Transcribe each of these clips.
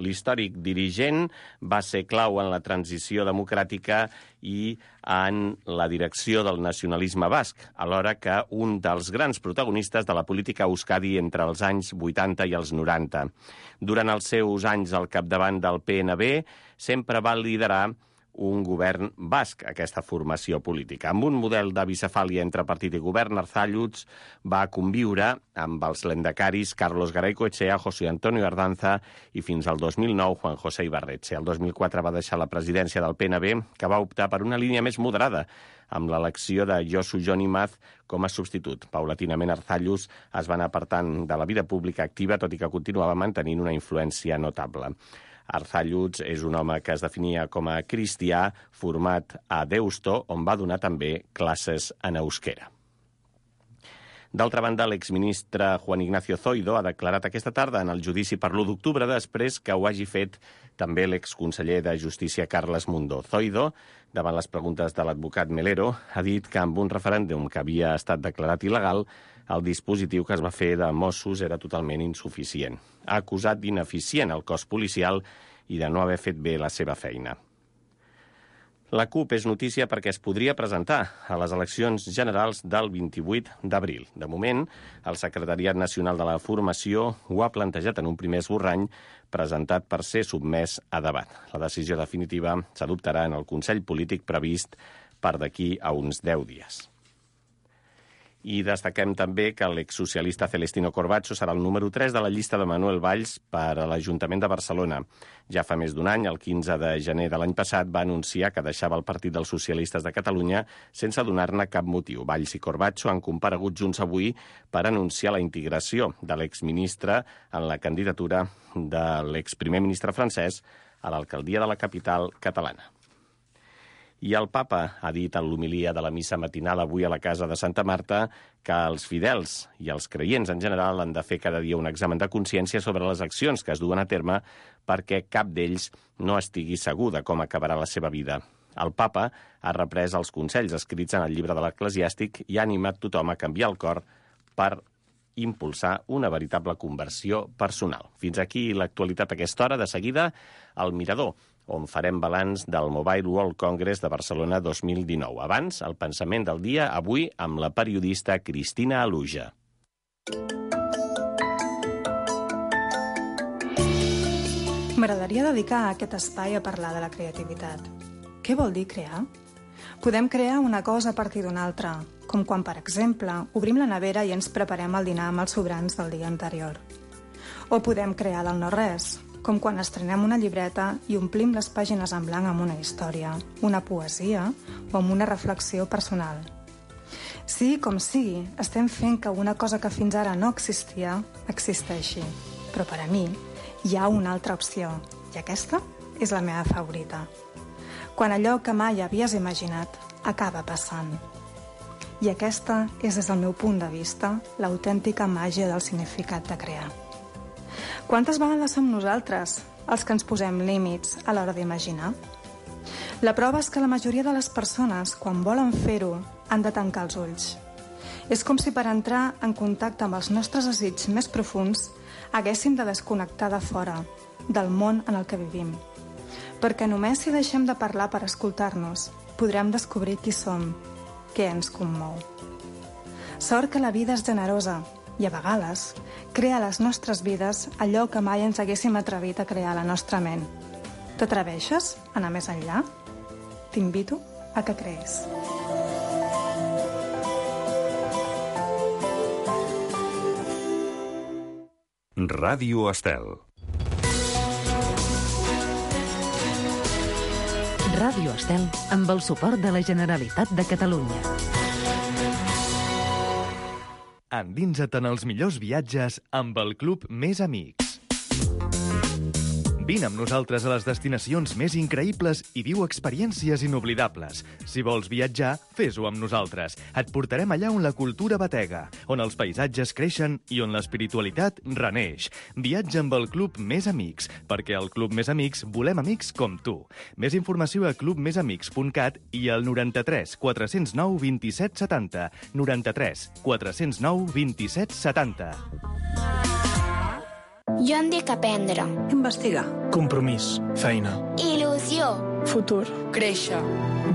L'històric dirigent va ser clau en la transició democràtica i en la direcció del nacionalisme basc, alhora que un dels grans protagonistes de la política a Euskadi entre els anys 80 i els 90. Durant els seus anys al capdavant del PNB, sempre va liderar un govern basc, aquesta formació política. Amb un model de bicefàlia entre partit i govern, Arzalluz va conviure amb els lendacaris Carlos Garaycoetxea, José Antonio Ardanza i fins al 2009 Juan José Ibarretxe. El 2004 va deixar la presidència del PNB, que va optar per una línia més moderada, amb l'elecció de Josu Jon Imaz com a substitut. Paulatinament, Arzalluz es va anar apartant de la vida pública activa, tot i que continuava mantenint una influència notable. Arzalluz és un home que es definia com a cristià, format a Deusto, on va donar també classes en euskera. D'altra banda, l'exministre Juan Ignacio Zoido ha declarat aquesta tarda en el judici per l'1 d'octubre, després que ho hagi fet també l'exconseller de Justícia Carles Mundó. Zoido, davant les preguntes de l'advocat Melero, ha dit que amb un referèndum que havia estat declarat il·legal, el dispositiu que es va fer de Mossos era totalment insuficient. Ha acusat d'ineficient el cos policial i de no haver fet bé la seva feina. La CUP és notícia perquè es podria presentar a les eleccions generals del 28 d'abril. De moment, el Secretariat Nacional de la Formació ho ha plantejat en un primer esborrany presentat per ser sotmès a debat. La decisió definitiva s'adoptarà en el Consell Polític previst per d'aquí a uns 10 dies. I destaquem també que l'exsocialista Celestino Corbacho serà el número 3 de la llista de Manuel Valls per a l'Ajuntament de Barcelona. Ja fa més d'un any, el 15 de gener de l'any passat, va anunciar que deixava el Partit dels Socialistes de Catalunya sense donar-ne cap motiu. Valls i Corbacho han comparegut junts avui per anunciar la integració de l'exministre en la candidatura de l'exprimer ministre francès a l'alcaldia de la capital catalana. I el papa ha dit en l'homilia de la missa matinal avui a la casa de Santa Marta que els fidels i els creients en general han de fer cada dia un examen de consciència sobre les accions que es duen a terme perquè cap d'ells no estigui segur de com acabarà la seva vida. El papa ha reprès els consells escrits en el llibre de l'Eclesiàstic i ha animat tothom a canviar el cor per impulsar una veritable conversió personal. Fins aquí l'actualitat a aquesta hora. De seguida, al Mirador, on farem balanç del Mobile World Congress de Barcelona 2019. Abans, el pensament del dia, avui amb la periodista Cristina Aluja. M'agradaria dedicar aquest espai a parlar de la creativitat. Què vol dir crear? Podem crear una cosa a partir d'una altra, com quan, per exemple, obrim la nevera i ens preparem el dinar amb els sobrants del dia anterior. O podem crear del no-res, com quan estrenem una llibreta i omplim les pàgines en blanc amb una història, una poesia o amb una reflexió personal. Sigui com sigui, estem fent que una cosa que fins ara no existia, existeixi. Però per a mi hi ha una altra opció, i aquesta és la meva favorita. Quan allò que mai havies imaginat acaba passant. I aquesta és, des del meu punt de vista, l'autèntica màgia del significat de crear. Quantes vegades som nosaltres els que ens posem límits a l'hora d'imaginar? La prova és que la majoria de les persones, quan volen fer-ho, han de tancar els ulls. És com si per entrar en contacte amb els nostres desitjos més profuns haguéssim de desconnectar de fora, del món en el que vivim. Perquè només si deixem de parlar per escoltar-nos, podrem descobrir qui som, què ens commou. Sort que la vida és generosa, i a vegades crea a les nostres vides allò que mai ens haguéssim atrevit a crear a la nostra ment. T'atreveixes a anar més enllà? T'invito a que crees. Ràdio Estel. Ràdio Estel amb el suport de la Generalitat de Catalunya. Endinsa't en els millors viatges amb el Club Més Amics. Vine amb nosaltres a les destinacions més increïbles i viu experiències inoblidables. Si vols viatjar, fes-ho amb nosaltres. Et portarem allà on la cultura batega, on els paisatges creixen i on l'espiritualitat reneix. Viatja amb el Club Més Amics, perquè al Club Més Amics volem amics com tu. Més informació a clubmesamics.cat i al 93 409 27 70. 93 409 27 70. Jo em dic aprendre. Investigar. Compromís. Feina. Il·lusió. Futur. Créixer.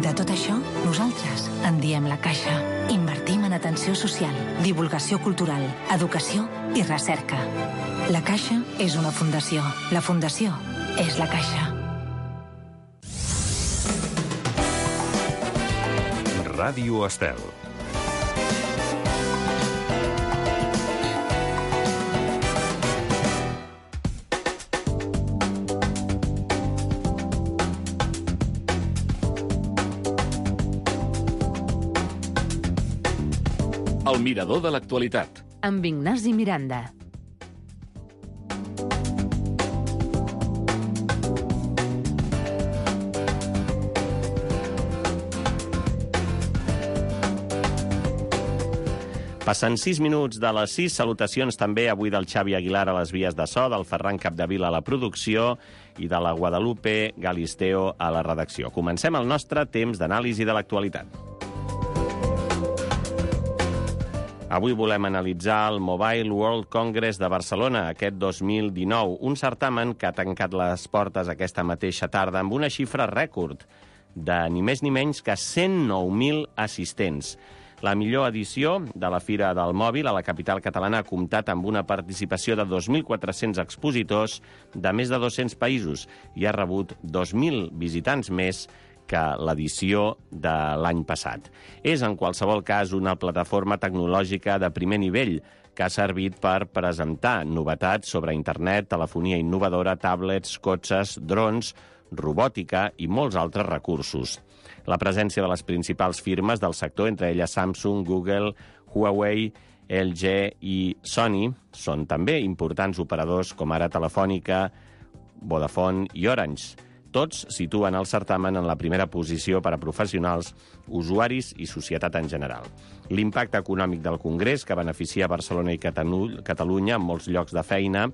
De tot això, nosaltres en diem La Caixa. Invertim en atenció social, divulgació cultural, educació i recerca. La Caixa és una fundació. La fundació és La Caixa. Ràdio Estel. El mirador de l'actualitat. Amb Ignasi Miranda. Passen 6 minuts de les 6. Salutacions també avui del Xavi Aguilar a les vies de so, del Ferran Capdevila a la producció i de la Guadalupe Galisteo a la redacció. Comencem el nostre temps d'anàlisi de l'actualitat. Avui volem analitzar el Mobile World Congress de Barcelona, aquest 2019, un certamen que ha tancat les portes aquesta mateixa tarda amb una xifra rècord de ni més ni menys que 109.000 assistents. La millor edició de la Fira del Mòbil a la capital catalana ha comptat amb una participació de 2.400 expositors de més de 200 països i ha rebut 2.000 visitants més que l'edició de l'any passat. És, en qualsevol cas, una plataforma tecnològica de primer nivell que ha servit per presentar novetats sobre internet, telefonia innovadora, tablets, cotxes, drons, robòtica i molts altres recursos. La presència de les principals firmes del sector, entre elles Samsung, Google, Huawei, LG i Sony, són també importants operadors com ara Telefònica, Vodafone i Orange. Tots situen el certamen en la primera posició per a professionals, usuaris i societat en general. L'impacte econòmic del Congrés, que beneficia Barcelona i Catalunya en molts llocs de feina,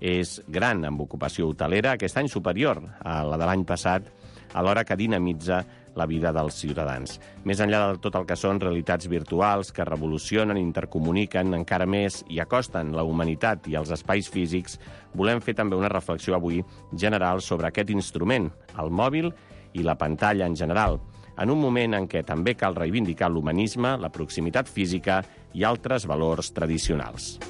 és gran amb ocupació hotelera, aquest any superior a la de l'any passat, alhora que dinamitza la vida dels ciutadans. Més enllà de tot el que són realitats virtuals que revolucionen, intercomuniquen encara més i acosten la humanitat i els espais físics, volem fer també una reflexió avui general sobre aquest instrument, el mòbil i la pantalla en general, en un moment en què també cal reivindicar l'humanisme, la proximitat física i altres valors tradicionals.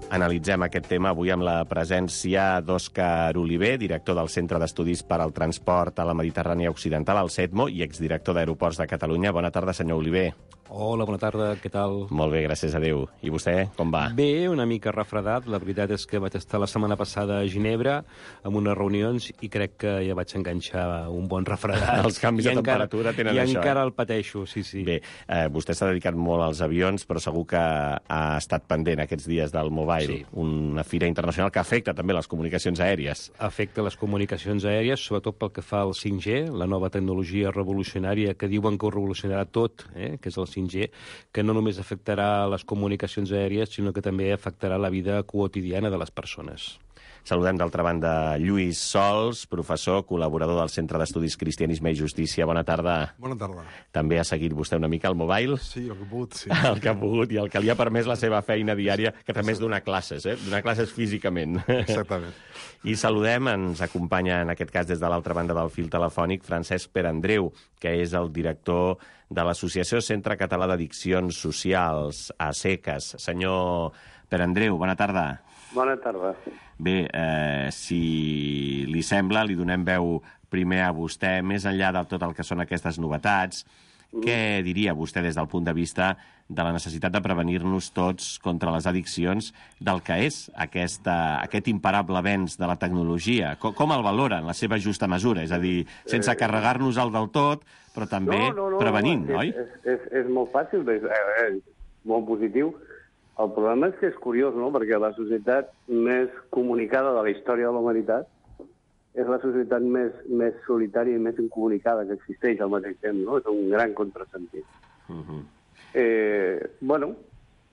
Analitzem aquest tema avui amb la presència d'Òscar Oliver, director del Centre d'Estudis per al Transport a la Mediterrània Occidental, al CETMO, i exdirector d'Aeroports de Catalunya. Bona tarda, senyor Oliver. Hola, bona tarda, què tal? Molt bé, gràcies a Déu. I vostè, com va? Bé, una mica refredat. La veritat és que vaig estar la setmana passada a Ginebra amb unes reunions i crec que ja vaig enganxar un bon refredat. Els canvis de temperatura tenen això. I encara el pateixo, sí. Bé, vostè s'ha dedicat molt als avions, però segur que ha estat pendent aquests dies del Mobile, una fira internacional que afecta també les comunicacions aèries. Afecta les comunicacions aèries, sobretot pel que fa al 5G, la nova tecnologia revolucionària que diuen que ho revolucionarà tot, que és el 5G, que no només afectarà les comunicacions aèries, sinó que també afectarà la vida quotidiana de les persones. Saludem d'altra banda Lluís Sols, professor, col·laborador del Centre d'Estudis Cristianisme i Justícia. Bona tarda. Bona tarda. També ha seguit vostè una mica el Mobile? Sí, el que ha pogut, sí. El que ha pogut i el que li ha permès la seva feina diària, que també és donar classes, donar classes físicament. Exactament. I saludem, ens acompanya en aquest cas des de l'altra banda del fil telefònic, Francesc Perandreu, que és el director de l'Associació Centre Català d'Addiccions Socials, ASECAS. Senyor Perandreu, bona tarda. Bona tarda. Bé, si li sembla, li donem veu primer a vostè, més enllà de tot el que són aquestes novetats. Què diria vostè des del punt de vista de la necessitat de prevenir-nos tots contra les addiccions del que és aquest imparable avenç de la tecnologia? Com el valora en la seva justa mesura? És a dir, sense carregar-nos-el del tot, però també prevenint, oi? És molt fàcil, és molt positiu. El problema és que és curiós, no?, perquè la societat més comunicada de la història de la humanitat és la societat més solitària i més incomunicada que existeix al mateix temps, no? És un gran contrasentit. Bueno,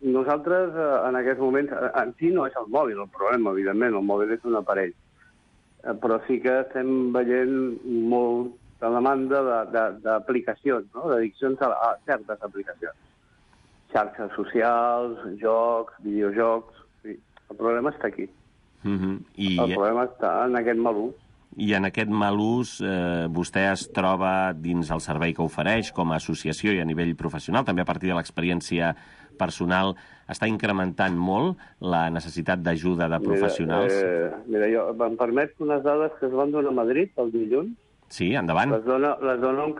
nosaltres en aquests moments, en si no és el mòbil el problema, evidentment, el mòbil és un aparell, però sí que estem veient molta demanda d'aplicacions, no?, d'addiccions a certes aplicacions. xarxes socials, jocs, videojocs... Sí, el problema està aquí. El problema està en aquest mal ús. I en aquest mal ús vostè es troba dins el servei que ofereix com a associació i a nivell professional, també a partir de l'experiència personal, està incrementant molt la necessitat d'ajuda de professionals? Mira, em permet unes dades que es van donar a Madrid el dilluns. Sí, endavant. Les dona un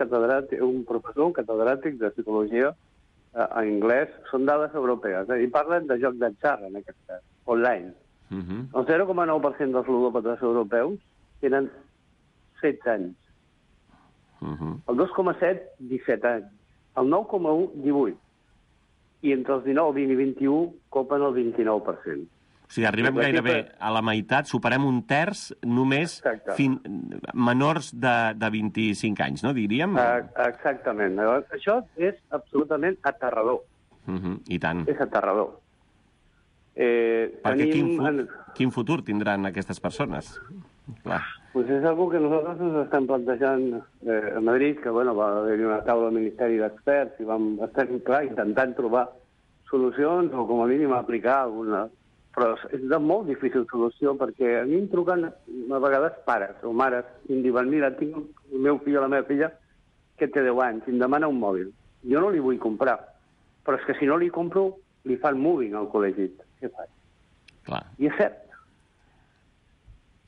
professor, un catedràtic de psicologia en anglès. Són dades europees, i parlen de joc d'atzar, en aquest cas, online. El 0,9% dels ludòpates europeus tenen 16 anys. El 2,7, 17 anys. El 9,1, 18. I entre els 19, 20 i 21 copen el 29%. O sigui, arribem gairebé a la meitat, superem un terç només menors de 25 anys, no, diríem? Exactament. Això és absolutament aterrador. I tant. És aterrador. Perquè quin futur tindran aquestes persones? Clar. Pues és algo que nosaltres ens estem plantejant a Madrid, que va haver-hi una taula al Ministeri d'Experts i vam estar, clar, intentant trobar solucions o com a mínim aplicar alguna. Però és de molt difícil solució perquè a mi em truquen a vegades pares o mares i em diuen, mira, tinc el meu fill o la meva filla que té 10 anys i em demana un mòbil. Jo no li vull comprar, però és que si no li compro li fan moving al col·legi. Què faig? Clar. I és cert.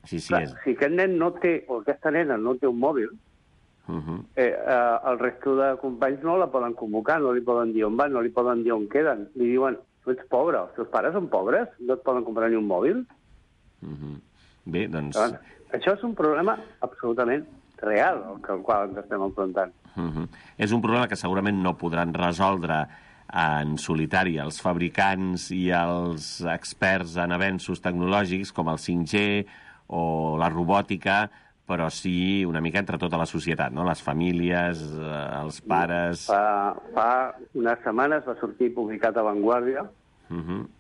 Sí, clar, si aquest nen no té, o aquesta nena no té un mòbil, el resto de companys no la poden convocar, no li poden dir on van, no li poden dir on queden. Li diuen, tu ets pobre, els teus pares són pobres, no et poden comprar ni un mòbil. Bé, doncs... Això és un problema absolutament real, al qual ens estem enfrontant. És un problema que segurament no podran resoldre en solitari els fabricants i els experts en avenços tecnològics com el 5G o la robòtica, però sí una mica entre tota la societat, no? Les famílies, els pares... Fa unes setmanes va sortir publicat a Vanguardia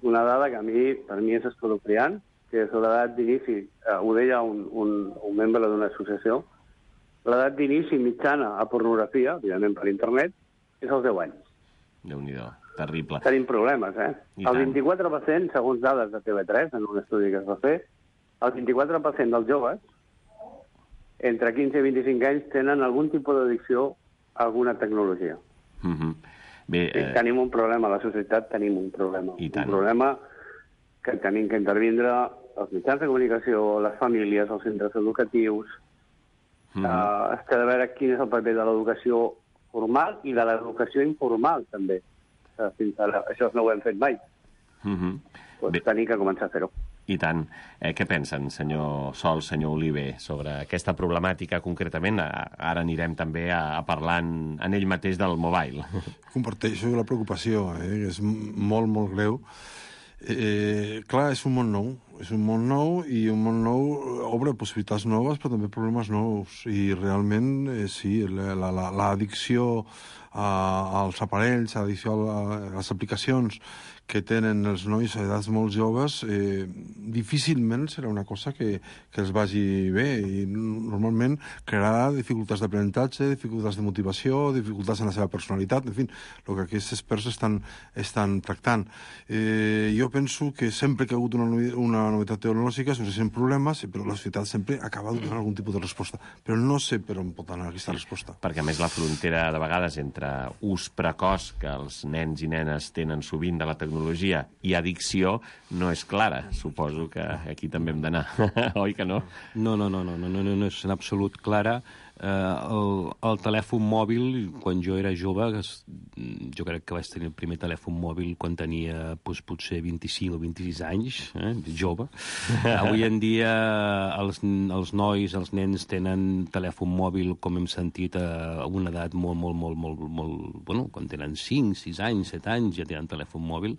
una dada que per mi és escalofriant, que és l'edat d'inici, ho deia un membre d'una associació, l'edat d'inici mitjana a pornografia, evidentment per internet, és als 10 anys. Déu-n'hi-do, terrible. Tenim problemes, El 24%, segons dades de TV3, en un estudi que es va fer, el 24% dels joves, entre 15 i 25 anys, tenen algun tipus d'addicció a alguna tecnologia. Bé, tenim un problema, a la societat tenim un problema. Un problema que tenim que intervindre els mitjans de comunicació, les famílies, els centres educatius. Es té de veure quin és el paper de l'educació formal i de l'educació informal, també. Fins ara, això no ho hem fet mai. Tenim que començar a fer-ho. I tant. Què pensen, senyor Sol, senyor Oliver, sobre aquesta problemàtica concretament? Ara anirem també a parlar en ell mateix del mobile. Comparteixo la preocupació, que és molt, molt greu. Clar, és un món nou. És un món nou i un món nou obre possibilitats noves, però també problemes nous. I realment, sí, l'addicció als aparells, l'addicció a les aplicacions que tenen els nois a edats molt joves, difícilment serà una cosa que els vagi bé i normalment crearà dificultats d'aprenentatge, dificultats de motivació, dificultats en la seva personalitat, en fi, el que aquests experts estan tractant. Jo penso que sempre que ha hagut una novetat tecnològica sorgeixen problemes, però la societat sempre acaba donant algun tipus de resposta. Però no sé per on pot anar aquesta resposta. Perquè, a més, la frontera, de vegades, entre ús precoç, que els nens i nenes tenen sovint de la tecnologia, i addicció no és clara. Suposo que aquí també hem d'anar. Oi que no? No és en absolut clara. El telèfon mòbil, quan jo era jove, jo crec que vaig tenir el primer telèfon mòbil quan tenia potser 25 o 26 anys, jove. Avui en dia els nois, els nens tenen telèfon mòbil, com hem sentit, a una edat molt... Bueno, quan tenen 5, 6 anys, 7 anys ja tenen telèfon mòbil,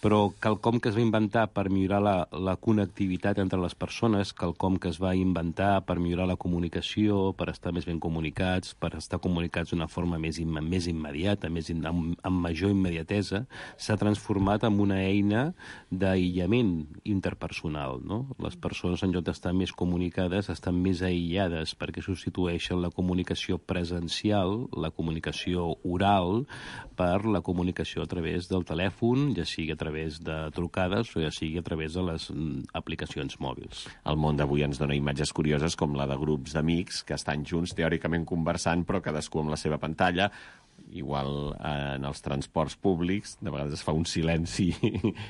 però quelcom que es va inventar per millorar la connectivitat entre les persones, quelcom que es va inventar per millorar la comunicació, per estar estar més ben comunicats, per estar comunicats d'una forma més immediata, amb major immediatesa, s'ha transformat en una eina d'aïllament interpersonal, no? Les persones, en lloc d'estar més comunicades, estan més aïllades, perquè substitueixen la comunicació presencial, la comunicació oral, per la comunicació a través del telèfon, ja sigui a través de trucades o ja sigui a través de les aplicacions mòbils. El món d'avui ens dona imatges curioses com la de grups d'amics que estan junts teòricament conversant, però cadascú amb la seva pantalla. Igual en els transports públics de vegades es fa un silenci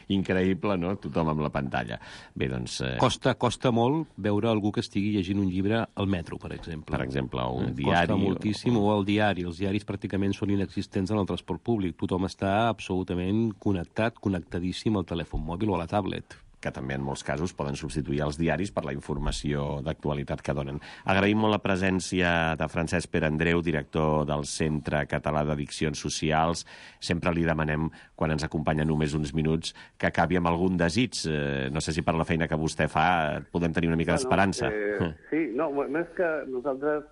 increïble, no? Tothom amb la pantalla. Bé, doncs... Costa molt veure algú que estigui llegint un llibre al metro, per exemple. Per exemple, o un diari. Costa moltíssim, o el diari. Els diaris pràcticament són inexistents en el transport públic. Tothom està absolutament connectadíssim al telèfon mòbil o a la tablet, que també en molts casos poden substituir els diaris per la informació d'actualitat que donen. Agraïm molt la presència de Francesc Pere Andreu, director del Centre Català d'Addiccions Socials. Sempre li demanem, quan ens acompanya només uns minuts, que acabi amb algun desig. No sé si per la feina que vostè fa podem tenir una mica d'esperança. Sí, no, més que nosaltres,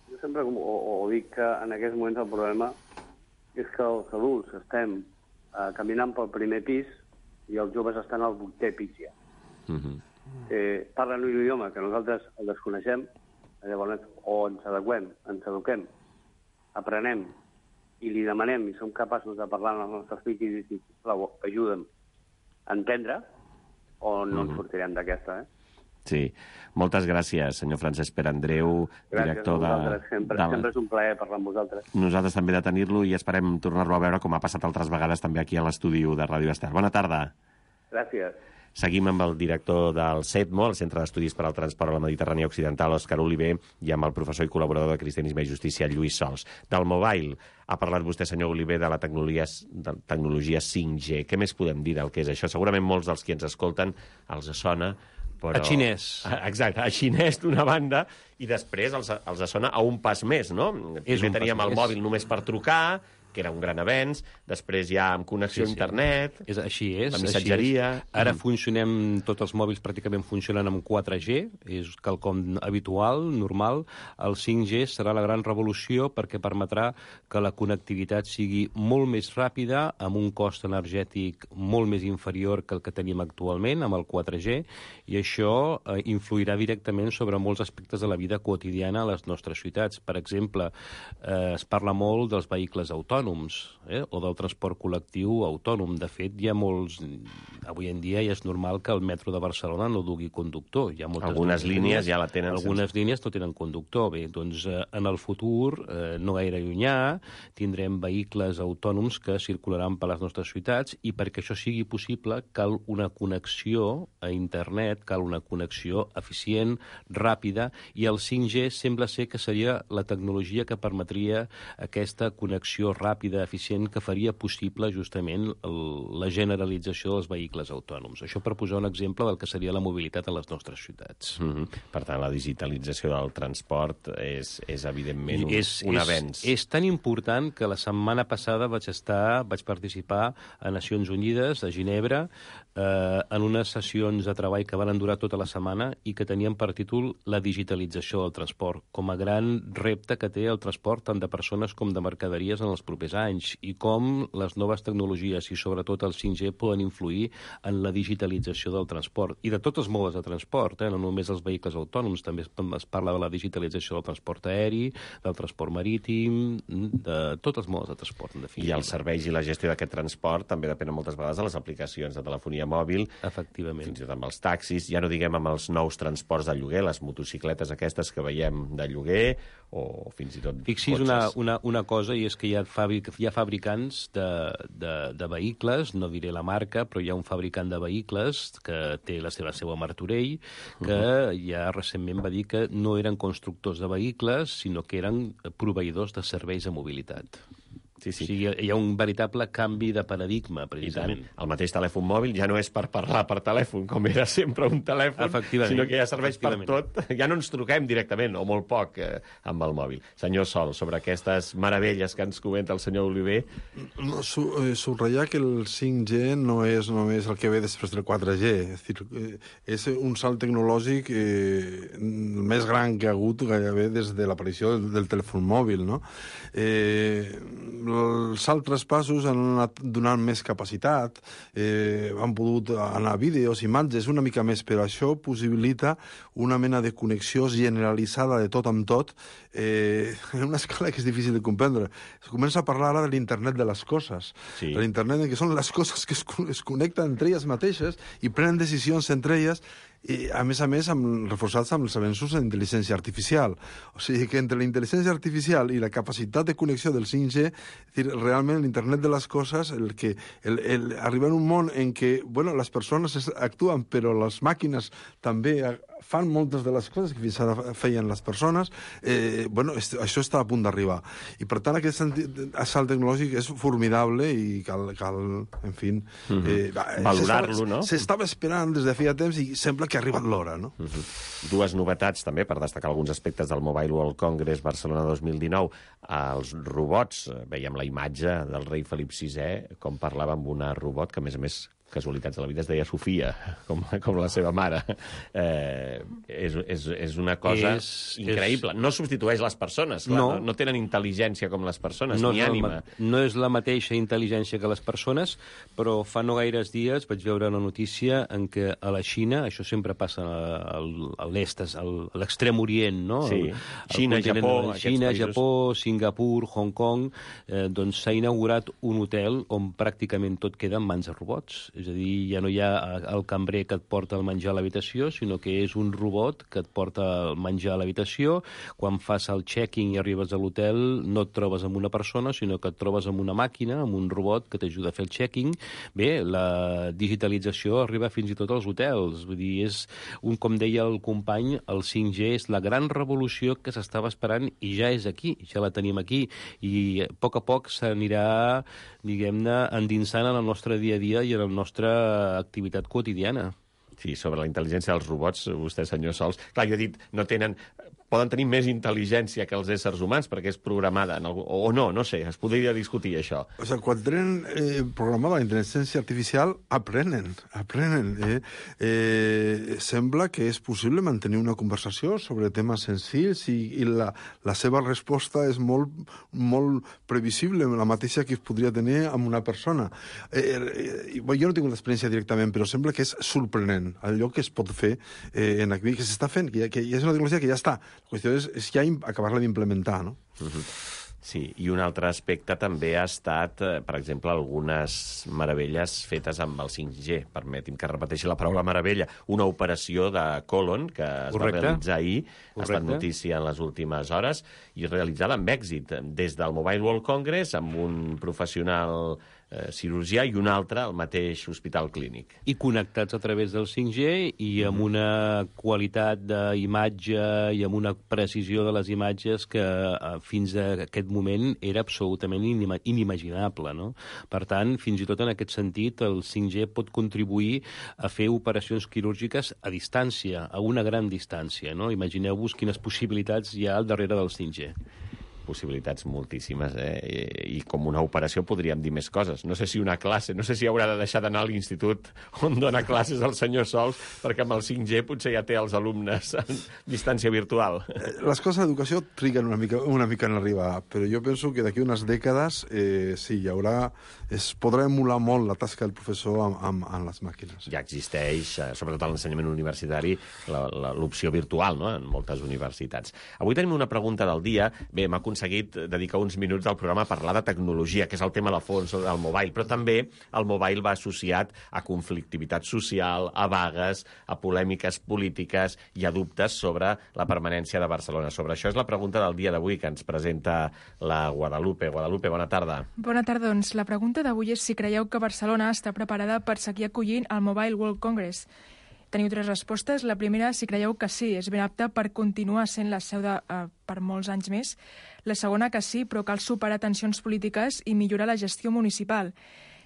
jo sempre ho dic que en aquests moments el problema és que els adults estem caminant pel primer pis i els joves estan al 8è pis ja. Parlen un idioma que nosaltres el desconeixem, llavors o ens eduquem, aprenem i li demanem i som capaços de parlar amb els nostres fills i dir, sisplau, ajuda'm a entendre, o no ens sortirem d'aquesta, Sí. Moltes gràcies, senyor Francesc Pere Andreu, director de... Sempre és un plaer parlar amb vosaltres. Nosaltres també de tenir-lo i esperem tornar-lo a veure, com ha passat altres vegades també aquí a l'estudi de Ràdio Estel. Bona tarda. Gràcies. Seguim amb el director del CETMO, el Centre d'Estudis per al Transport a la Mediterrània Occidental, Òscar Oliver, i amb el professor i col·laborador de Cristianisme i Justícia, Lluís Sols. Del mobile, ha parlat vostè, senyor Oliver, de la tecnologia 5G. Què més podem dir del que és això? Segurament molts dels qui ens escolten els sona, però... A xinès. Exacte, a xinès d'una banda, i després els sona a un pas més, no? Primer teníem el mòbil només per trucar, que era un gran avenç, després ja amb connexió a internet, així és, la missatgeria... Ara tots els mòbils pràcticament funcionen amb 4G, és quelcom habitual, normal. El 5G serà la gran revolució perquè permetrà que la connectivitat sigui molt més ràpida, amb un cost energètic molt més inferior que el que tenim actualment, amb el 4G, i això influirà directament sobre molts aspectes de la vida quotidiana a les nostres ciutats. Per exemple, es parla molt dels vehicles autònoms, o del transport col·lectiu autònom. De fet, hi ha molts... Avui en dia ja és normal que el metro de Barcelona no dugui conductor. Hi ha algunes línies ja la tenen. Algunes línies no tenen conductor. Bé, doncs en el futur, no gaire llunyà, tindrem vehicles autònoms que circularan per les nostres ciutats, i perquè això sigui possible cal una connexió a internet, cal una connexió eficient, ràpida, i el 5G sembla ser que seria la tecnologia que permetria aquesta connexió ràpida, eficient, que faria possible justament la generalització dels vehicles autònoms. Això per posar un exemple del que seria la mobilitat a les nostres ciutats. Per tant, la digitalització del transport és evidentment un avenç. És tan important que la setmana passada vaig participar a Nacions Unides, a Ginebra, en unes sessions de treball que van durar tota la setmana i que tenien per títol la digitalització del transport, com a gran repte que té el transport tant de persones com de mercaderies en els propers anys, i com les noves tecnologies i sobretot el 5G poden influir en la digitalització del transport i de tots els modes de transport, no només els vehicles autònoms, també es parla de la digitalització del transport aeri, del transport marítim, de tots els modes de transport, en definitiva. I els serveis i la gestió d'aquest transport també depenen moltes vegades de les aplicacions de telefonia mòbil, efectivament, fins i tot amb els taxis, ja no diguem amb els nous transports de lloguer, les motocicletes aquestes que veiem de lloguer, o fins i tot Fixi's una cosa, i és que hi ha fabricants de vehicles, no diré la marca, però hi ha un fabricant de vehicles que té la seva seu a Martorell, que ja recentment va dir que no eren constructors de vehicles, sinó que eren proveïdors de serveis de mobilitat. O sigui, hi ha un veritable canvi de paradigma, precisament. El mateix telèfon mòbil ja no és per parlar per telèfon, com era sempre un telèfon, sinó que ja serveix per tot. Ja no ens truquem directament, o molt poc, amb el mòbil. Senyor Sol, sobre aquestes meravelles que ens comenta el senyor Oliver... Subratllar que el 5G no és només el que ve després del 4G. És un salt tecnològic més gran que ha hagut gairebé des de l'aparició del telèfon mòbil, no? Els altres passos han anat donant més capacitat, han pogut anar a vídeos, imatges, una mica més, però això possibilita una mena de connexió generalitzada de tot amb tot, en una escala que és difícil de comprendre. Es comença a parlar ara de l'internet de les coses. De l'internet que són les coses que es connecten entre elles mateixes i prenen decisions entre elles, i, a més, reforçats amb els avenços en intel·ligència artificial. O sigui que entre la intel·ligència artificial i la capacitat de connexió del 5G, realment l'internet de les coses, arribar a un món en què les persones actuen, però les màquines també fan moltes de les coses que fins ara feien les persones, això està a punt d'arribar. I per tant aquest salt tecnològic és formidable i cal en fi... valorar-lo, no? S'estava esperant des de feia temps i sembla que ha arribat l'hora, no? Dues novetats, també, per destacar alguns aspectes del Mobile World Congress Barcelona 2019. Els robots, veiem la imatge del rei Felip VI, com parlava amb una robot que, a més, casualitats de la vida, es deia Sofia, com la seva mare. És una cosa increïble. No substitueix les persones, clar, no tenen intel·ligència com les persones, ni ànima. No és la mateixa intel·ligència que les persones, però fa no gaires dies vaig veure una notícia en què a la Xina, això sempre passa a l'est, a l'extrem orient, no? Sí, Xina, Japó, Singapur, Hong Kong, doncs s'ha inaugurat un hotel on pràcticament tot queda en mans de robots. És a dir, ja no hi ha el cambrer que et porta el menjar a l'habitació, sinó que és un robot que et porta el menjar a l'habitació. Quan fas el check-in i arribes a l'hotel, no et trobes amb una persona, sinó que et trobes amb una màquina, amb un robot que t'ajuda a fer el check-in. Bé, la digitalització arriba fins i tot als hotels. Vull dir, és com deia el company, el 5G és la gran revolució que s'estava esperant i ja és aquí, ja la tenim aquí. I a poc s'anirà, diguem-ne, endinsant en el nostre dia a dia i en la nostra activitat quotidiana. Sí, sobre la intel·ligència dels robots, vostè, senyor Sols... Clar, jo he dit, poden tenir més intel·ligència que els éssers humans perquè és programada, o no sé, es podria discutir això. O sigui, quan tenen programada la intel·ligència artificial, aprenen. Sembla que és possible mantenir una conversació sobre temes senzills i la seva resposta és molt previsible, la mateixa que es podria tenir amb una persona. Jo no tinc una experiència directament, però sembla que és sorprenent allò que es pot fer que s'està fent, que ja és una tecnologia que ja està. La qüestió és ja acabar-la d'implementar, no? Sí, i un altre aspecte també ha estat, per exemple, algunes meravelles fetes amb el 5G. Permeti'm que repeteixi la paraula meravella. Una operació de còlon que es va realitzar ahir, ha estat notícia en les últimes hores, i realitzada amb èxit des del Mobile World Congress amb un professional cirurgià i un altre al mateix hospital clínic. I connectats a través del 5G i amb una qualitat d'imatge i amb una precisió de les imatges que fins a aquest moment era absolutament inimaginable, no? Per tant, fins i tot en aquest sentit, el 5G pot contribuir a fer operacions quirúrgiques a distància, a una gran distància, no? Imagineu-vos quines possibilitats hi ha al darrere del 5G. Possibilitats moltíssimes, i com una operació podríem dir més coses. No sé si una classe, no sé si haurà de deixar d'anar a l'institut on dona classes el senyor Sols, perquè amb el 5G potser ja té els alumnes en distància virtual. Les coses d'educació triguen una mica en arribar, però jo penso que d'aquí unes dècades sí, hi haurà... Es podrà emular molt la tasca del professor amb les màquines. Ja existeix, sobretot a l'ensenyament universitari, l'opció virtual, no?, en moltes universitats. Avui tenim una pregunta del dia. Bé, m'ha aconseguit dedicar uns minuts al programa a parlar de tecnologia, que és el tema de fons del mobile, però també el mobile va associat a conflictivitat social, a vagues, a polèmiques polítiques i a dubtes sobre la permanència de Barcelona. Sobre això és la pregunta del dia d'avui que ens presenta la Guadalupe. Guadalupe, bona tarda. Bona tarda, doncs la pregunta d'avui és si creieu que Barcelona està preparada per seguir acollint el Mobile World Congress. Teniu 3 respostes. La primera, si creieu que sí, és ben apta per continuar sent la seu per molts anys més. La segona, que sí, però cal superar tensions polítiques i millorar la gestió municipal.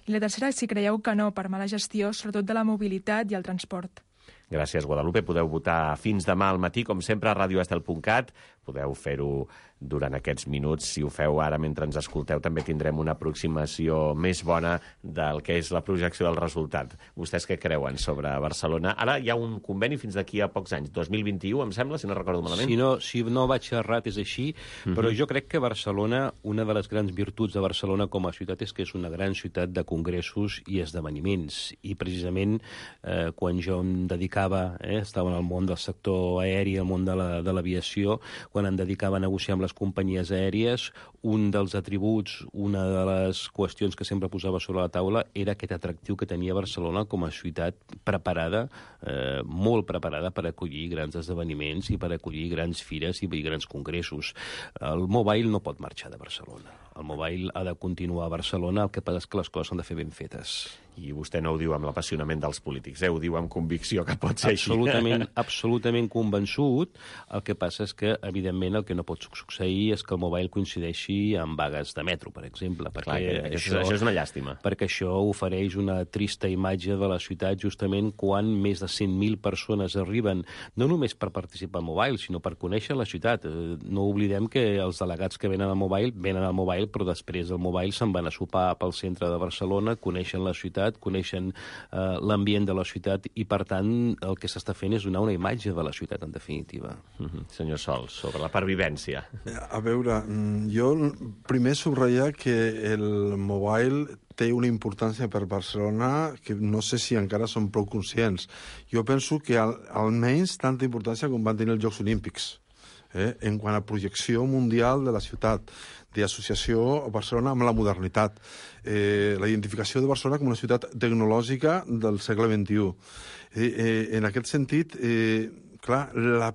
I la tercera, si creieu que no, per mala gestió, sobretot de la mobilitat i el transport. Gràcies, Guadalupe. Podeu votar fins demà al matí, com sempre, a radioestel.cat. Podeu fer-ho durant aquests minuts. Si ho feu ara mentre ens escolteu, també tindrem una aproximació més bona del que és la projecció del resultat. Vostès què creuen sobre Barcelona? Ara hi ha un conveni fins d'aquí a pocs anys, 2021, em sembla, si no recordo malament. Si no vaig errat, és així, però jo crec que Barcelona, una de les grans virtuts de Barcelona com a ciutat és que és una gran ciutat de congressos i esdeveniments. I precisament quan jo em dedicava, estava en el món del sector aeri, el món de l'aviació, quan em dedicava a negociar amb les companyies aèries, un dels atributs, una de les qüestions que sempre posava sobre la taula era aquest atractiu que tenia Barcelona com a ciutat preparada, molt preparada per acollir grans esdeveniments i per acollir grans fires i grans congressos. El Mobile no pot marxar de Barcelona. El Mobile ha de continuar a Barcelona, el que passa és que les coses s'han de fer ben fetes. I vostè no ho diu amb l'apassionament dels polítics, ho diu amb convicció que pot ser així. Absolutament convençut. El que passa és que, evidentment, el que no pot succeir és que el Mobile coincideixi amb vagues de metro, per exemple. Clar, això és una llàstima. Perquè això ofereix una trista imatge de la ciutat justament quan més de 100.000 persones arriben, no només per participar al Mobile, sinó per conèixer la ciutat. No oblidem que els delegats que venen al Mobile, però després del Mobile se'n van a sopar pel centre de Barcelona, coneixen la ciutat, coneixen l'ambient de la ciutat i, per tant, el que s'està fent és donar una imatge de la ciutat, en definitiva. Senyor Sols, sobre la pervivència. A veure, jo primer subratllar que el Mobile té una importància per Barcelona que no sé si encara són prou conscients. Jo penso que almenys tanta importància com van tenir els Jocs Olímpics. En quant a projecció mundial de la ciutat, d'associació a Barcelona amb la modernitat, la identificació de Barcelona com una ciutat tecnològica del segle XXI. En aquest sentit, clar, la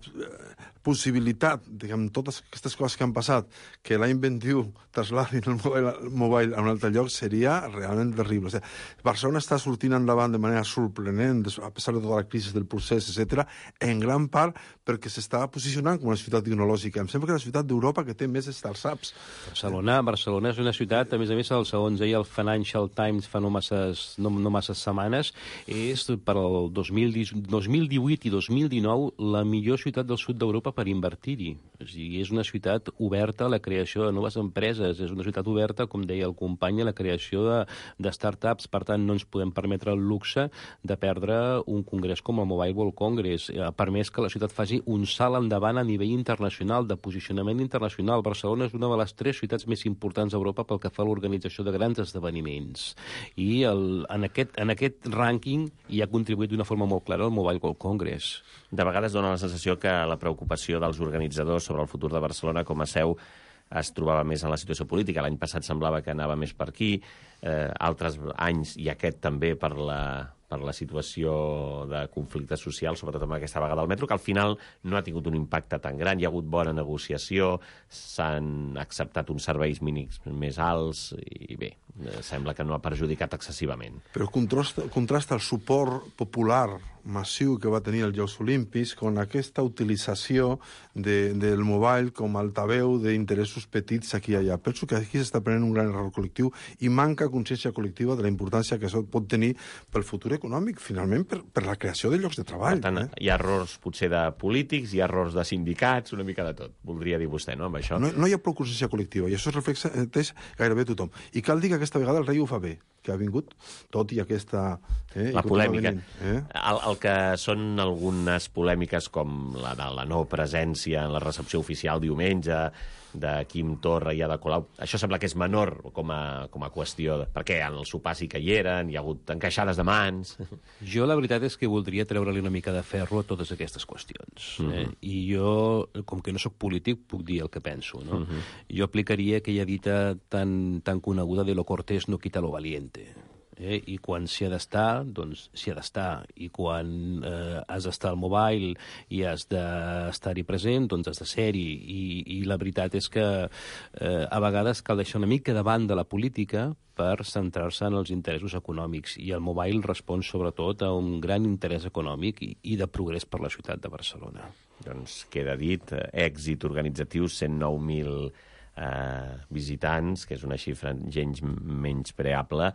possibilitat, diguem, totes aquestes coses que han passat, que l'any 21 trasladin el Mobile a un altre lloc, seria realment terrible. O sigui, Barcelona està sortint endavant de manera sorprenent, a pesar de tota la crisi del procés, etc., en gran part perquè s'està posicionant com una ciutat tecnològica. Em sembla que és la ciutat d'Europa que té més startups. Barcelona és una ciutat, a més, segons deia el Financial Times fa no masses setmanes, és per al 2018 i 2019 la millor ciutat del sud d'Europa per invertir-hi. O sigui, és una ciutat oberta a la creació de noves empreses, és una ciutat oberta, com deia el company, a la creació de startups. Per tant, no ens podem permetre el luxe de perdre un congrés com el Mobile World Congress. Ha permès que la ciutat faci un salt endavant a nivell internacional, de posicionament internacional. Barcelona és una de les 3 ciutats més importants d'Europa pel que fa a l'organització de grans esdeveniments. I en aquest rànquing hi ha contribuït d'una forma molt clara el Mobile World Congress. De vegades dona la sensació que la preocupació dels organitzadors sobre el futur de Barcelona com a seu es trobava més en la situació política. L'any passat semblava que anava més per aquí, altres anys, i aquest també per la situació de conflicte social, sobretot amb aquesta vaga del metro, que al final no ha tingut un impacte tan gran. Hi ha hagut bona negociació, s'han acceptat uns serveis mínims més alts i bé, sembla que no ha perjudicat excessivament. Però contrasta el suport popular massiu que va tenir els Jocs Olímpics amb aquesta utilització del Mobile com a altaveu d'interessos petits aquí i allà. Penso que aquí s'està prenent un gran error col·lectiu i manca consciència col·lectiva de la importància que això pot tenir pel futur econòmic, finalment, per la creació de llocs de treball. Per tant, hi ha errors potser de polítics, hi ha errors de sindicats, una mica de tot, voldria dir vostè, no, amb això? No hi ha prou consciència col·lectiva, i això es reflecteix gairebé tothom. I cal dir que aquesta vegada el rei ho fa bé, que ha vingut, tot i aquesta... La polèmica. El que són algunes polèmiques com la de la no presència en la recepció oficial diumenge de Quim Torra i Ada Colau, això sembla que és menor com a qüestió, perquè en el sopar sí que hi eren, hi ha hagut encaixades de mans... Jo la veritat és que voldria treure-li una mica de ferro a totes aquestes qüestions. I jo, com que no sóc polític, puc dir el que penso. No? Jo aplicaria aquella dita tan coneguda de lo cortés no quita lo valiente. I quan s'hi ha d'estar, doncs s'hi ha d'estar. I quan has d'estar al mobile i has d'estar-hi present, doncs has de ser-hi. I la veritat és que a vegades cal deixar una mica de banda la política per centrar-se en els interessos econòmics. I el mobile respon sobretot a un gran interès econòmic i de progrés per la ciutat de Barcelona. Doncs queda dit, èxit organitzatiu, 109.000 visitants, que és una xifra gens menyspreable,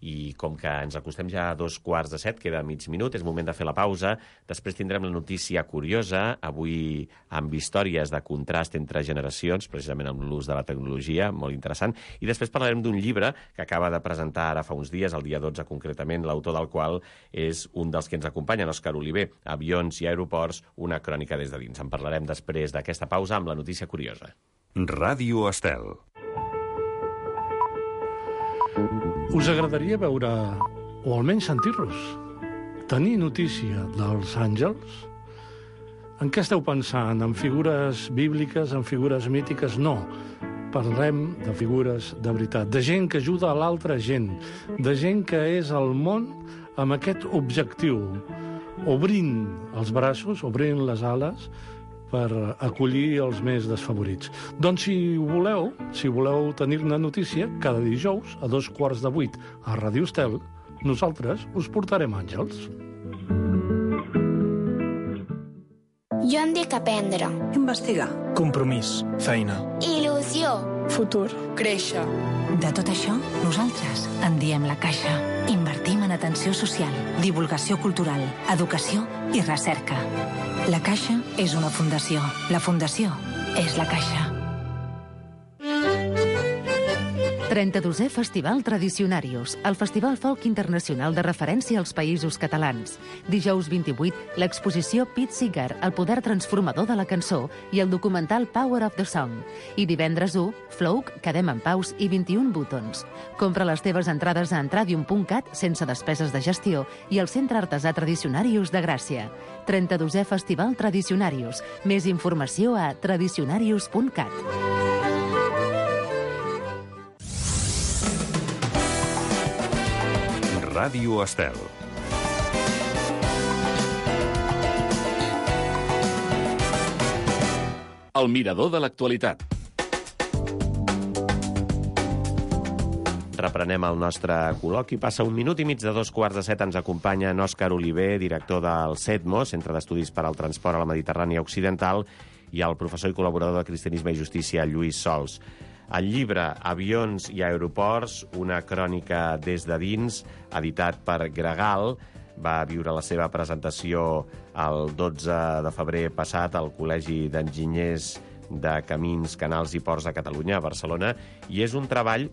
i com que ens acostem ja a 6:45, queda mig minut, és moment de fer la pausa. Després tindrem la notícia curiosa, avui amb històries de contrast entre generacions, precisament amb l'ús de la tecnologia, molt interessant, i després parlarem d'un llibre que acaba de presentar ara fa uns dies, el dia 12 concretament, l'autor del qual és un dels que ens acompanyen, Òscar Oliver, Avions i aeroports, una crònica des de dins. En parlarem després d'aquesta pausa amb la notícia curiosa. Ràdio Estel. Us agradaria veure, o almenys sentir-los, tenir notícia dels àngels? En què esteu pensant? En figures bíbliques, en figures mítiques? No. Parlem de figures de veritat, de gent que ajuda a l'altra gent, de gent que és al món amb aquest objectiu, obrint els braços, obrint les ales, per acollir els més desfavorits. Doncs si voleu tenir-ne notícia, cada dijous a 7:15 a Ràdio Estel, nosaltres us portarem àngels. Jo em dic aprendre. Investigar. Compromís. Feina. Il·lusió. Futur. Créixer. De tot això, nosaltres en diem La Caixa. Invertim en atenció social, divulgació cultural, educació i recerca. La Caixa és una fundació. La fundació és La Caixa. 32è Festival Tradicionarius, el festival folk internacional de referència als països catalans. Dijous 28, l'exposició Pete Seeger, el poder transformador de la cançó, i el documental Power of the Song. I divendres 1, Flouk, Quedem en Paus i 21 Buttons. Compra les teves entrades a entradium.cat sense despeses de gestió i al Centre Artesà Tradicionarius de Gràcia. 32è Festival Tradicionarius. Més informació a tradicionarius.cat. Ràdio Estel. El mirador de l'actualitat. Reprenem el nostre col·loqui. Passa 1 minut i mig de 7:15. Ens acompanya Òscar Oliver, director del CEDMO, Centre d'Estudis per al Transport a la Mediterrània Occidental, i el professor i col·laborador de Cristianisme i Justícia, Lluís Sols. El llibre Avions i aeroports, una crònica des de dins, editat per Gregal, va viure la seva presentació el 12 de febrer passat al Col·legi d'Enginyers de Camins, Canals i Ports de Catalunya, a Barcelona, i és un treball,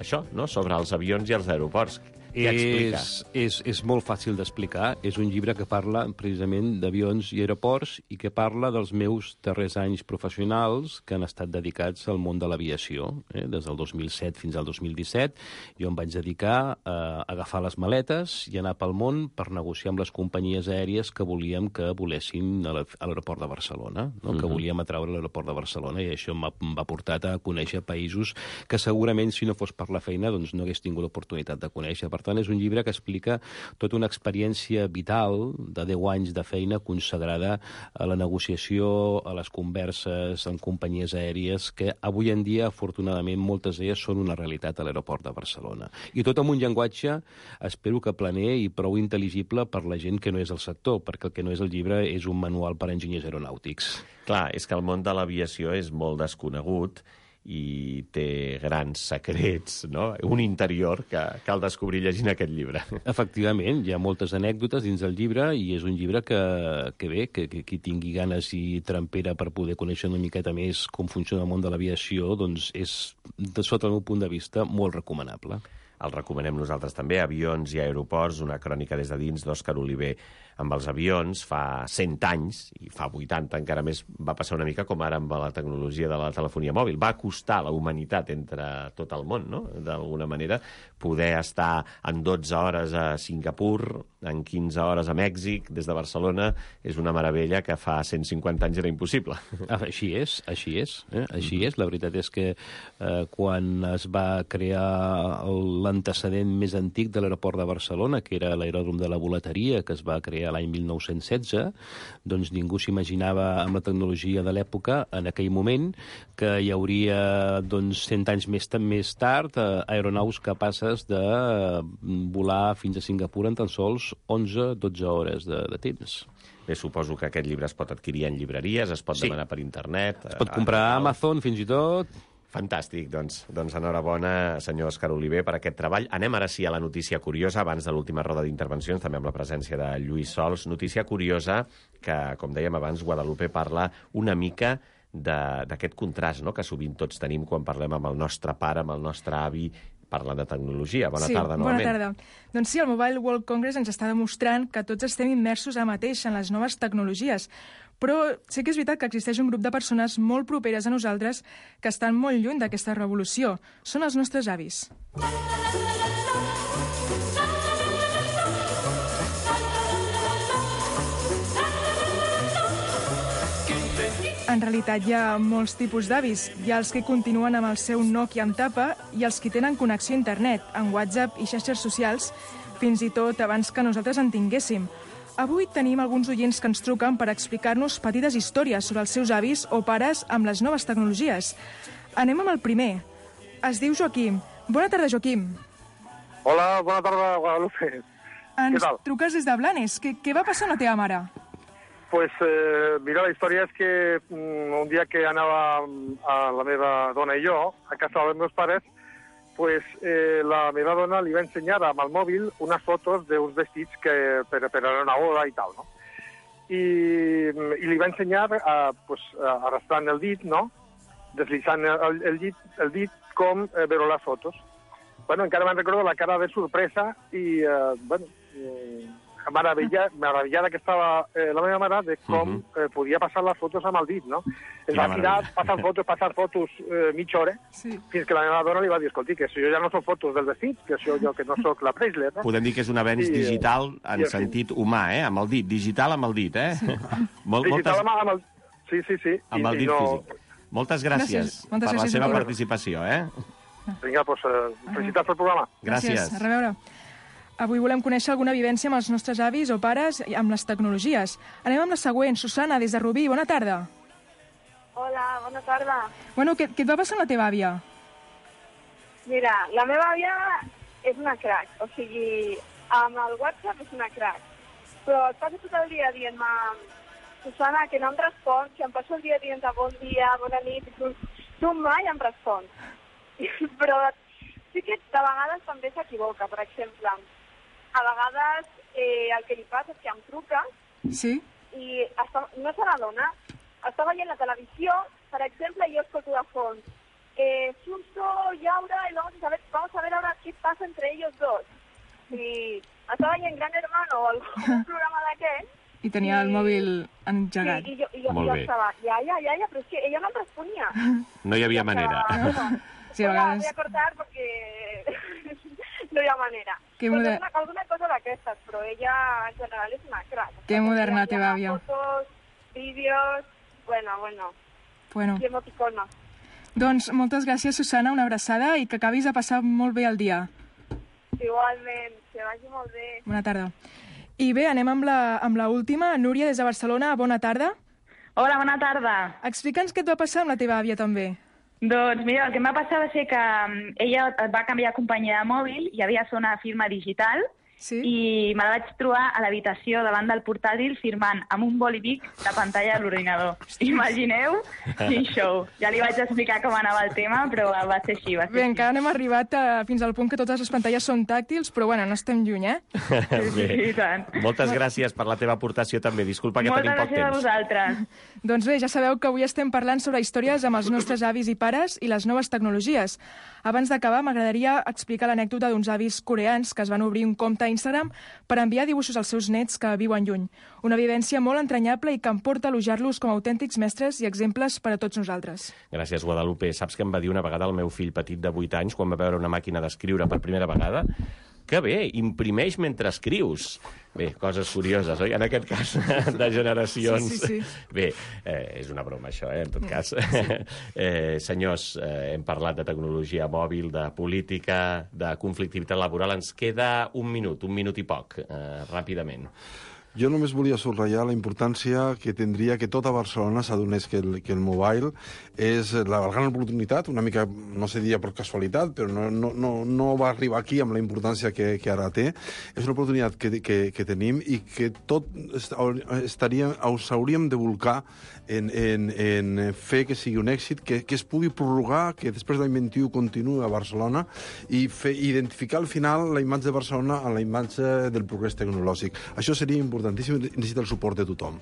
això, no?, sobre els avions i els aeroports. Què explica? És molt fàcil d'explicar. És un llibre que parla precisament d'avions i aeroports i que parla dels meus darrers anys professionals que han estat dedicats al món de l'aviació. Des del 2007 fins al 2017 jo em vaig dedicar a agafar les maletes i anar pel món per negociar amb les companyies aèries que volíem que volessin a l'aeroport de Barcelona, no? Que volíem atraure a l'aeroport de Barcelona, i això m'ha portat a conèixer països que segurament, si no fos per la feina, doncs no hagués tingut l'oportunitat de conèixer. Per tant, és un llibre que explica tota una experiència vital de 10 anys de feina consagrada a la negociació, a les converses amb companyies aèries, que avui en dia, afortunadament, moltes d'elles són una realitat a l'aeroport de Barcelona. I tot amb un llenguatge, espero que planer i prou intel·ligible per la gent que no és del sector, perquè el que no és el llibre és un manual per a enginyers aeronàutics. Clar, és que el món de l'aviació és molt desconegut i té grans secrets, no? Un interior que cal descobrir llegint aquest llibre. Efectivament, hi ha moltes anècdotes dins del llibre i és un llibre que qui tingui ganes i trempera per poder conèixer una miqueta més com funciona el món de l'aviació, doncs és, sota el meu punt de vista, molt recomanable. El recomanem nosaltres també, Avions i aeroports, una crònica des de dins d'Òscar Oliver. Amb els avions, fa 100 anys, i fa 80 encara més, va passar una mica com ara amb la tecnologia de la telefonia mòbil. Va costar a la humanitat entre tot el món, no?, d'alguna manera, poder estar en 12 hores a Singapur, en 15 hores a Mèxic, des de Barcelona, és una meravella que fa 150 anys era impossible. Així és. Així és. La veritat és que quan es va crear l'antecedent més antic de l'aeroport de Barcelona, que era l'aeròdrom de la Volateria, que es va crear l'any 1916, doncs ningú s'imaginava amb la tecnologia de l'època, en aquell moment, que hi hauria 100 anys més tard aeronaus capaces de volar fins a Singapur en tan sols 11-12 hores de temps. Bé, suposo que aquest llibre es pot adquirir en llibreries, es pot demanar per internet. Es pot comprar a Amazon, fins i tot. Fantàstic, doncs enhorabona, senyor Òscar Oliver, per aquest treball. Anem ara sí a la notícia curiosa, abans de l'última roda d'intervencions, també amb la presència de Lluís Sols. Notícia curiosa que, com dèiem abans, Guadalupe parla una mica d'aquest contrast, no?, que sovint tots tenim quan parlem amb el nostre pare, amb el nostre avi, parlant de tecnologia. Bona tarda, novament. Bona tarda. Doncs sí, el Mobile World Congress ens està demostrant que tots estem immersos ara mateix en les noves tecnologies. Però sí que és veritat que existeix un grup de persones molt properes a nosaltres que estan molt lluny d'aquesta revolució. Són els nostres avis. En realitat hi ha molts tipus d'avis. Hi ha els que continuen amb el seu Nokia amb tapa i els que tenen connexió a internet, en WhatsApp i xarxes socials, fins i tot abans que nosaltres en tinguéssim. Avui tenim alguns oients que ens truquen per explicar-nos petites històries sobre els seus avis o pares amb les noves tecnologies. Anem amb el primer. Es diu Joaquim. Bona tarda, Joaquim. Hola, bona tarda, Guadalupe. Ens truques des de Blanes. Què va passar amb la teva mare? Pues mira, la història és que un dia que anava a la meva dona i jo a casa dels meus pares, pues la meva dona li va ensenyar amb el mòbil unes fotos d'uns vestits que per a una boda i tal, no? I li va ensenyar arrastrant el dit, no? Deslitzant el dit com veure les fotos. Bueno, encara me'n recordo la cara de sorpresa i, meravellada que estava la meva mare de com podia passar les fotos amb el dit, no? Es va tirar passar fotos mitja hora, fins que la meva dona li va dir, escolti, que això ja no són fotos del vestit, que això jo que no sóc la Preisler, no? Podem dir que és un avenç digital en sentit humà, amb el dit, digital amb el dit, Digital amb el... Sí. Amb el dit físic. Moltes gràcies per la seva participació, Vinga, doncs felicitats pel programa. Gràcies. A reveure. Avui volem conèixer alguna vivència amb els nostres avis o pares amb les tecnologies. Anem amb la següent. Susana, des de Rubí. Bona tarda. Hola, bona tarda. Bueno, què et va passar amb la teva àvia? Mira, la meva àvia és una crac. O sigui, amb el WhatsApp és una crac. Però et passa tot el dia dient-me, Susana, que no em respons, que em passo el dia dient-te bon dia, bona nit, i tu mai em respons. Però sí que de vegades també s'equivoca. Per exemple, a vegades el que li passa és que em truca i no se n'adona. Està veient la televisió, per exemple, i jo escolto de fons. Suso y Aura, y vamos a ver ahora qué pasa entre ellos dos. I està veient Gran Hermano o algun programa d'aquest. I tenia el mòbil engegat. Sí, i jo estava, iaia, però és que ella no em responia. No hi havia manera. Sí, a vegades... Voy a cortar porque no hi ha manera. Alguna cosa d'aquestes, però ella en general és una crac. Que moderna la teva àvia. Fotos, vídeos, bueno. I emoticona. Doncs moltes gràcies, Susana, una abraçada i que acabis de passar molt bé el dia. Igualment, que vagi molt bé. Bona tarda. I bé, anem amb la última. Núria, des de Barcelona, bona tarda. Hola, bona tarda. Explica'ns què et va passar amb la teva àvia també. Doncs mira, el que em va passar va ser que ella va canviar de companyia de mòbil i havia de fer una firma digital i me la vaig trobar a l'habitació davant del portàtil firmant amb un bolivic la pantalla de l'ordinador. Imagineu quin show. Ja li vaig explicar com anava el tema, però va ser així. Bé, encara no hem arribat fins al punt que totes les pantalles són tàctils, però bueno, no estem lluny, Bé, moltes gràcies per la teva aportació també. Disculpa que tenim poc temps. Moltes gràcies a vosaltres. Doncs bé, ja sabeu que avui estem parlant sobre històries amb els nostres avis i pares i les noves tecnologies. Abans d'acabar, m'agradaria explicar l'anècdota d'uns avis coreans que es van obrir un compte a Instagram per enviar dibuixos als seus nets que viuen lluny. Una vivència molt entranyable i que em porta a elogiar-los com a autèntics mestres i exemples per a tots nosaltres. Gràcies, Guadalupe. Saps què em va dir una vegada el meu fill petit de 8 anys quan va veure una màquina d'escriure per primera vegada? Que bé, imprimeix mentre escrius. Bé, coses curioses, oi? En aquest cas, de generacions. Sí. Bé, és una broma, això, en tot cas. Senyors, hem parlat de tecnologia mòbil, de política, de conflictivitat laboral. Ens queda un minut i poc, ràpidament. Jo només volia subratllar la importància que tindria que tota Barcelona s'adonés que el mobile és la gran oportunitat, una mica, no sé dir per casualitat, però no va arribar aquí amb la importància que ara té. És una oportunitat que tenim i que tot hauríem de volcar en fer que sigui un èxit, que es pugui prorrogar, que després de l'any 21 continuï a Barcelona i identificar al final la imatge de Barcelona amb la imatge del progrés tecnològic. Això seria importantíssim, necessita el suport de tothom.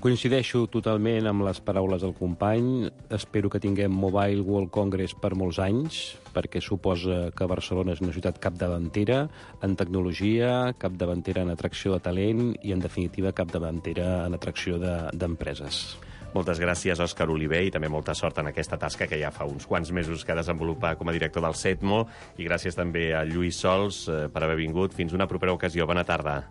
Coincideixo totalment amb les paraules del company. Espero que tinguem Mobile World Congress per molts anys, perquè suposa que Barcelona és una ciutat capdavantera en tecnologia, capdavantera en atracció de talent i, en definitiva, capdavantera en atracció d'empreses. Moltes gràcies, Òscar Oliver, i també molta sort en aquesta tasca que ja fa uns quants mesos que desenvolupa com a director del CETMO, i gràcies també a Lluís Sols per haver vingut. Fins una propera ocasió. Bona tarda.